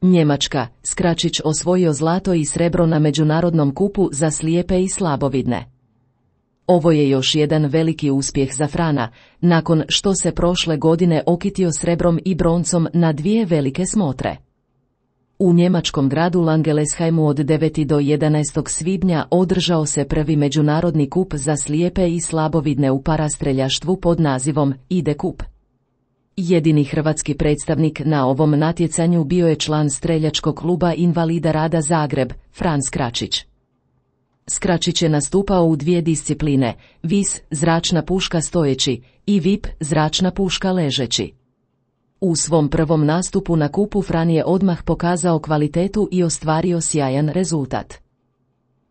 Njemačka, Skračić osvojio zlato i srebro na međunarodnom kupu za slijepe i slabovidne. Ovo je još jedan veliki uspjeh za Frana, nakon što se prošle godine okitio srebrom i broncom na 2 velike smotre. U njemačkom gradu Langelesheimu od 9. do 11. svibnja održao se prvi međunarodni kup za slijepe i slabovidne u parastreljaštvu pod nazivom IDE Kup. Jedini hrvatski predstavnik na ovom natjecanju bio je član streljačkog kluba invalida rada Zagreb, Fran Skračić. Skračić je nastupao u 2 discipline, vis, zračna puška stojeći, i VIP, zračna puška ležeći. U svom prvom nastupu na kupu Fran je odmah pokazao kvalitetu i ostvario sjajan rezultat.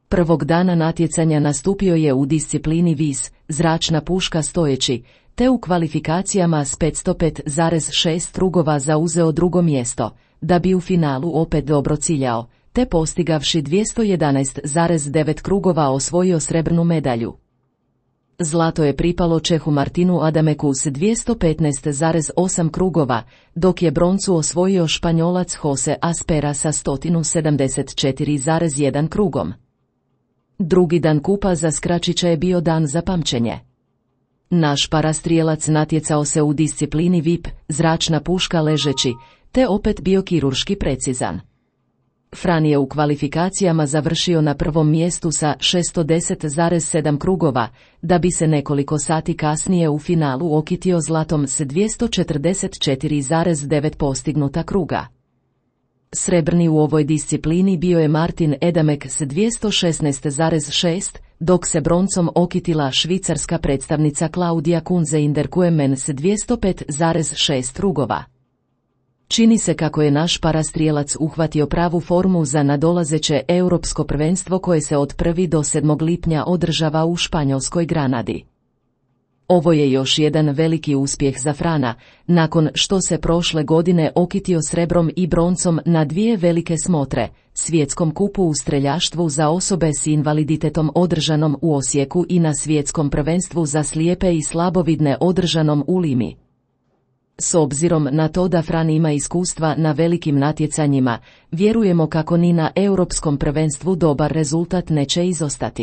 Prvog dana natjecanja nastupio je u disciplini vis, zračna puška stojeći, te u kvalifikacijama s 505,6 krugova zauzeo 2. mjesto, da bi u finalu opet dobro ciljao, te postigavši 211,9 krugova osvojio srebrnu medalju. Zlato je pripalo Čehu Martinu Adameku s 215,8 krugova, dok je broncu osvojio Španjolac Jose Aspera sa 174,1 krugom. Drugi dan kupa za Skračića je bio dan za pamćenje. Naš parastrijelac natjecao se u disciplini VIP, zračna puška ležeći, te opet bio kirurški precizan. Fran je u kvalifikacijama završio na prvom mjestu sa 610,7 krugova, da bi se nekoliko sati kasnije u finalu okitio zlatom s 244,9 postignuta kruga. Srebrni u ovoj disciplini bio je Martin Edamek s 216,6, dok se broncom okitila švicarska predstavnica Claudia Kunze Inderkuemen s 205,6 krugova. Čini se kako je naš parastrijelac uhvatio pravu formu za nadolazeće europsko prvenstvo koje se od 1. do 7. lipnja održava u Španjolskoj Granadi. Ovo je još jedan veliki uspjeh za Frana, nakon što se prošle godine okitio srebrom i broncom na 2 velike smotre, svjetskom kupu u streljaštvu za osobe s invaliditetom održanom u Osijeku i na svjetskom prvenstvu za slijepe i slabovidne održanom u Limi. S obzirom na to da Fran ima iskustva na velikim natjecanjima, vjerujemo kako ni na europskom prvenstvu dobar rezultat neće izostati.